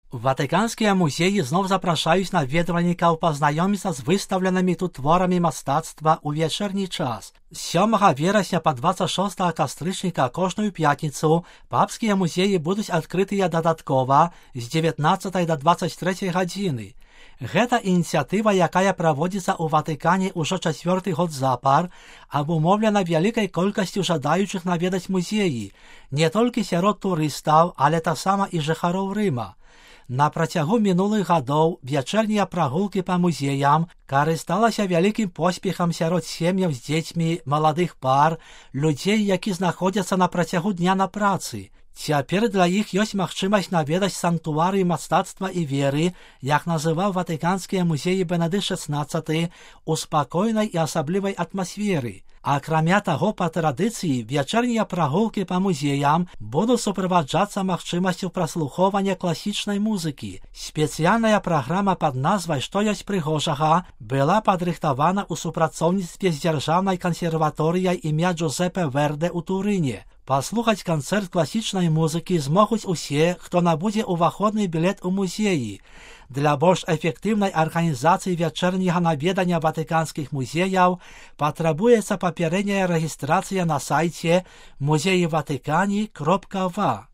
Ватыканскія музеі зноў запрашаюць наведвальнікаў пазнаёміцца з выстаўленымі тут творамі мастацтва ў вечерні час. З 7 верасня па 26 кастрычніка кожную пятніцу папскія музеі будуць адкрытыя дадаткова з 19 до 23 гадзіны. Гэта ініцыятыва, якая праводзіцца ў Ватыкане ўжо 4-й год запар, абумоўлена вялікай колькасцю жадаючых наведаць музеі, не толькі сярод турыстаў, але таксама і жыхароў Рыма. На працягу мінулых гадоў вечернія прагулкі па музеям карысталася вялікім поспехам сярод сем'яў з дзецьмі, маладых пар, людзей, які знаходзяцца на працягу дня на працы. Цяпер для іх ёсць магчымасць наведаць санктуарый мастацтва і веры, як называў ватыканскія музеі Бенедыкт XVI, у спакойнай і асаблівай атмасферы. Акрамя таго, па традыцыі, вечернія прагулкі па музеям будуць суправаджацца магчымасцю праслухоўвання класічнай музыкі. Спецыяльная праграма пад назвай «Што ёсць прыгожага» была падрыхтавана ў супрацоўніцтве з дзяржаўнай кансерваторыяй імя Джузепе Верде ў Турыне. Паслухаць канцэрт класічнай музыкі змогуць усе, хто набудзе ўваходны білет у музеі. Для больш эфектыўнай арганізацыі вечерняга наведання ватыканскіх музеяў патрабуецца папярэдняя рэгістрацыя на сайце muzeywatykani.wa.